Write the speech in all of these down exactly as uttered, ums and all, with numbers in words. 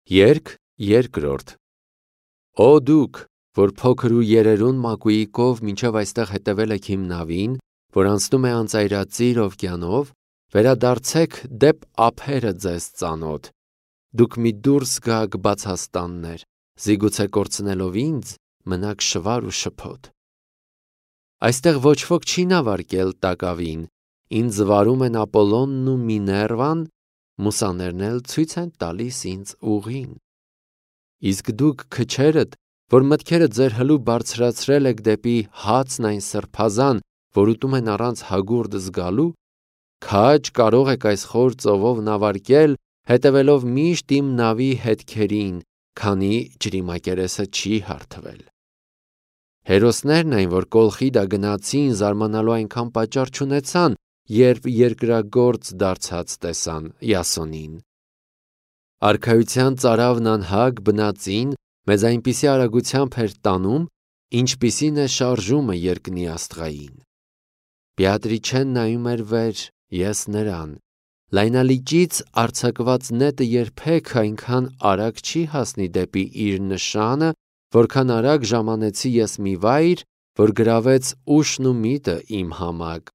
Երգ երկրորդ Օ դուք, որ փոքր ու երերուն մակույիկով մինչև այստեղ հետևել եք իմ նավին, որ անցնում է անծայրածիր օվկիանով, վերադարձեք դեպ ափերը ձեզ ծանոթ, դուք մի դուրս գաք բացաստաններ, զիգուցե կորցնելով ինձ, մնաք շվար ու շփոթ։ Այստեղ ոչ ոք չի նավարկել տակավին, ինձ վարում են Ապոլոնն ու Միներվան, մուսաներն էլ ցույց են տալիս ինձ ուղին։ Իսկ դուք քչերդ, որ մտքերը ձեր հլու բարձրացրել եք դեպի հացն այն սրբազան, որ ուտում են առանց հագուրդ զգալու, քաջ կարող եք այս խոր ծովով նավարկել, հետևելով միշտ իմ նավի հետքերին, քանի ջրիմակերեսը չի հարթվել։ Հերոսներն այն, որ Կոլխիդա գնացին, զարմանալու այնքան պատճառ չունեցան, երբ երկրագործ դարձած տեսան Յասոնին։ Արքայության ծարավն անհագ բնածին մեզ այնպիսի արագությամբ էր տանում, ինչպիսին է շարժումը երկնի աստղային։ Բեատրիչեն նայում էր վեր, ես նրան։ Լայնալիճից արձակված նետը երբեք այնքան արագ չի հասնի դեպի իր նշանը, որքան արագ ժամանեցի ես մի վայր, որ գրավեց ուշն ու միտը իմ համակ,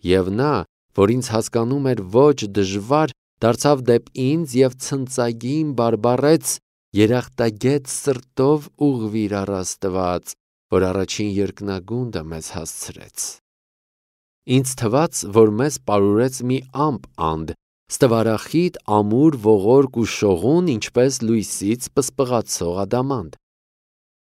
և նա, որ ինձ հասկանում էր ոչ դժվար, դարձավ դեպ ինձ և ցնծագին բարբառեց. երախտագետ սրտով ուղղվիր առ Աստված, որ առաջին երկնագունդը մեզ հասցրեց։ Ինձ թվաց, որ մեզ պարուրեց մի ամպ անդ, ստվարախիտ, ամուր, ողորկ ու շողուն, ինչպես լույսից պսպղացող ադամանդ։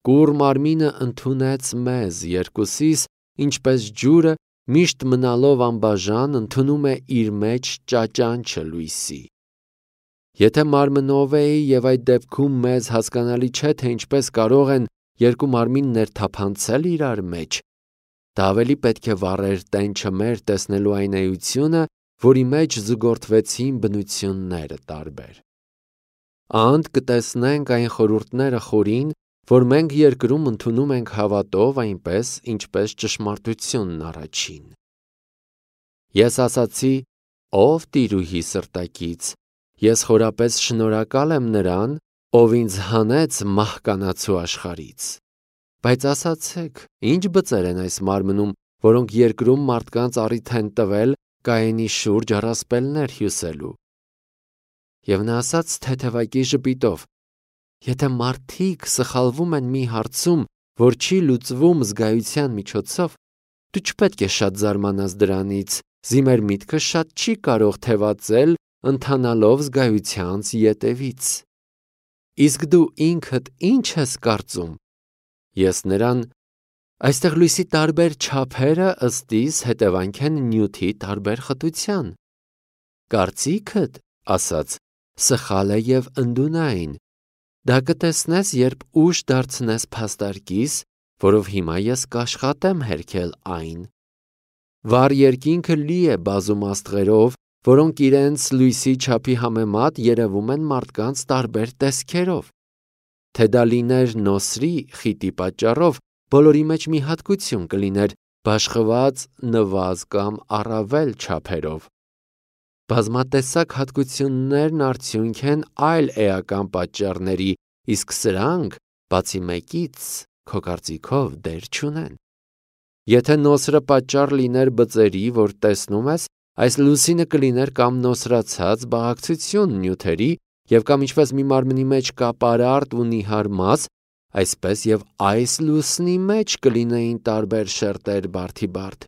Կուռ մարմինը ընդունեց մեզ, երկուսիս, ինչպես ջուրը, միշտ մնալով անբաժան, ընդունում է իր մեջ ճաճանչը լույսի։ Եթե մարմնով էի և այդ դեպքում մեզ հասկանալի չէ, թե ինչպես կարող են երկու մարմիններ թափանցել իրար մեջ, դա ավելի պետք է վառեր տենչը մեր տեսնելու այն էությունը, որի մեջ զուգորդվեցին բնությունները տարբեր։ Անդ կտեսնենք այն խորհուրդները խորին, որ մենք երկրում ընդունում ենք հավատով այնպես, ինչպես ճշմարտությունն առաջին։ Ես ասացի. «Ով տիրուհի սրտակից, ես խորապես շնորհակալ եմ նրան, ով ինձ հանեց մահկանացու աշխարհից։ Բայց ասացեք, ի՞նչ բծեր են այս մարմնում, որոնք երկրում մարդկանց առիթ են տվել Կայենի շուրջ առասպելներ հյուսելու»։ Եվ նա ասաց թեթևակի ժպիտով. «Եթե մարդիկ սխալվում են մի հարցում, որ չի լուծվում զգայության միջոցով, դու չպետք է շատ զարմանաս դրանից, զի մեր միտքը շատ չի կարող թևածել, ընթանալով զգայությանց ետևից։ Իսկ դու ինքդ ի՞նչ ես կարծում»։ Ես նրան. «Այստեղ լույսի տարբեր չափերը ըստ իս հետևանք են նյութի տարբեր խտության»։ Կարծիքդ, ասաց, սխալ է և ընդունայն։ Դա կտեսնես, երբ ուշ դարձնես փաստարկիս, որով հիմա ես կաշխատեմ հերքել այն։ Վառ երկինքը լի է բազում աստղերով, որոնք իրենց լույսի չափի համեմատ երևում են մարդկանց տարբեր տեսքերով։ Թե դա լիներ նոսրի խիտի պատճառով, բոլորի մեջ մի հատկություն կլիներ, բաշխված նվազ կամ առավել չափերով։ Բազմատեսակ հատկություններն արդյունք են այլ էական պատճառների, իսկ սրանք, բացի մեկից, քո կարծիքով դեր չունեն։ Եթե նոսրը պատճառ լիներ բծերի, որ տեսնում ես, այս լուսինը կլիներ կամ նոսրացած բաղակցություն նյութերի, և կամ ինչպես մի մարմնի մեջ կա պարարտ ու նիհար մաս, այսպես և այս լուսնի մեջ կլինեին տարբեր շերտեր բարդիբարդ։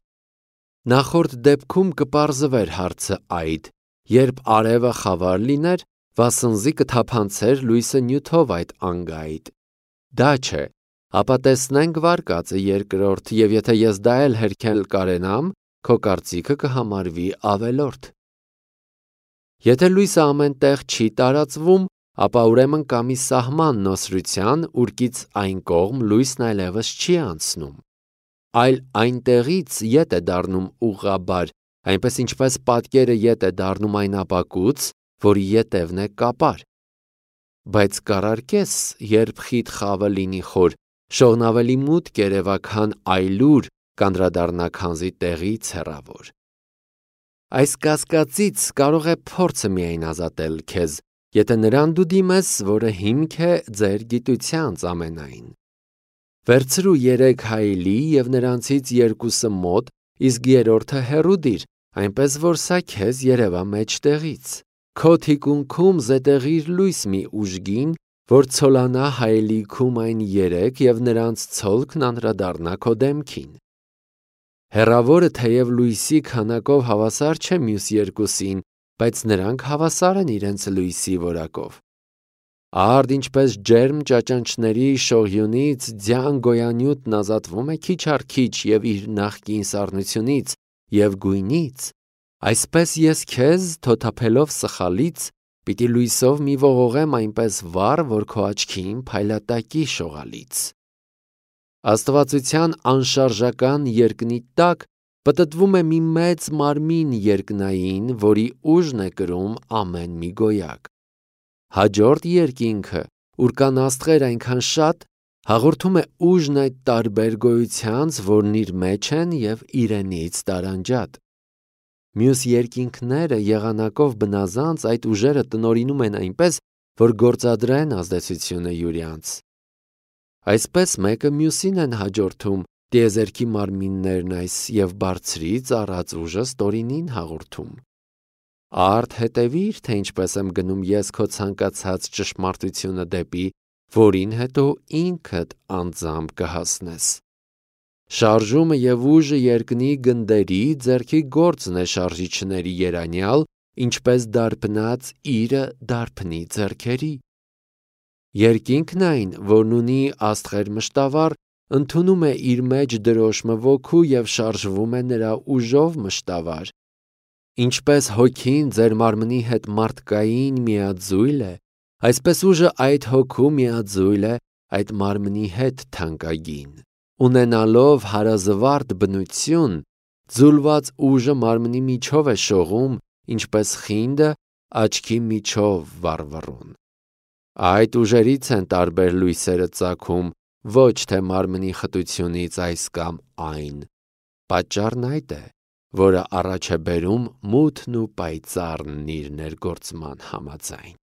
Նախորդ դեպքում կպարզվեր հարցը այդ, երբ արևը խավար լիներ, վասնզի կթափանցեր լույսը նյութով այդ անգայիդ։ Դա չէ, ապա տեսնենք վարկածը երկրորդ, և եթե ես դա էլ հերքել կարենամ, քո կարծիքը կհամարվի ավելորդ։ Եթե լույսը ամեն տեղ չի տարածվում, ապա ուրեմն կա մի սահման նոսրության, ուրկից այն կողմ լույսն այլևս չի անցնում, այլ այնտեղից ետ է դառնում ուղղաբար, այնպես ինչպես պատկերը ետ է դառնում այն ապակուց, որի ետևն է կապար։ Բայց կառարկես, երբ խիտ խավը լինի խոր, շողն ավելի մութ կերևա, քան այլուր կանդրադառնա քանզի տեղից հեռավոր։ Այս կասկածից կարող է փորձը միայն ազատել քեզ, եթե նրան դու դիմես, որը հիմք է ձեր գիտությանց ամենայն։ Վերցրու երեք հայելի և նրանցից երկուսը մոտ, իսկ երրորդը հեռու դիր, այնպես որ սա քեզ երևա մեջտեղից։ Քո թիկունքում զետեղիր լույս մի ուժգին, որ ցոլանա հայելիքում այն երեք և նրանց ցոլքն անդրադառնա քո դեմքին։ Հեռավորը թեև լույսի քանակով հավասար չէ մյուս երկուսին, բայց նրանք հավասար են իրենց լույսի որակով։ Արդ ինչպես ջերմ ճաճանճների շողյունից ձյան գոյանյութն ազատվում է քիչ առ քիչ և իր նախկին սառնությունից և գույնից, այսպես ես քեզ, թոթափելով սխալից, պիտի լույսով մի ողողեմ այնպես վառ, որ քո աչքին փայլատակի շողալից։ Աստվածության անշարժական երկնի տակ պտտվում է մի մեծ մարմին երկնային, որի ուժն է կրում ամեն մի գոյակ։ Հաջորդ երկինքը, ուր կան աստղեր այնքան շատ, հաղորդում է ուժն այդ տարբեր գոյությանց, որն իր մեջ են և իրենից տարանջատ։ Մյուս երկինքները եղանակով բնազանց այդ ուժերը տնօրինում են այնպես, որ գործադրեն ազդեցությունը յուրյանց։ Այսպես մեկը մյուսին են հաջորդում, տիեզերքի մարմիններն այս և բարձրից առած ուժը ստորինին հաղորդում։ Արդ հետևիր, թե ինչպես եմ գնում ես քո ցանկացած ճշմարտությունը դեպի, որին հետո ինքդ անձամբ կհասնես։ Շարժումը և ուժը երկնի գնդերի ձեռքի գործն է շարժիչների երանյալ, ինչպես դարբնած իրը դարբնի ձեռքերի։ Երկինքն այն, որն ունի աստղեր մշտավառ, ընդունում է իր մեջ դրոշմը ոգու և շարժվում է նրա ուժով մշտավառ։ Ինչպես հոգին ձեր մարմնի հետ մարդկային միաձույլ է, այսպես ուժը այդ հոգու միաձույլ է այդ մարմնի հետ թանկագին։ Ունենալով հարազվարդ բնություն, ձուլված ուժը մարմնի միջով է շողում, ինչպես խինդը աչքի միջով վառվռուն։ Այդ ուժերից են տարբեր լույսերը ծագում, ոչ թե մարմնի խտությունից այս կամ այն։ Պատճառն այդ է, որը առաջ է բերում մութն ու պայծառն իր ներգործման համաձայն։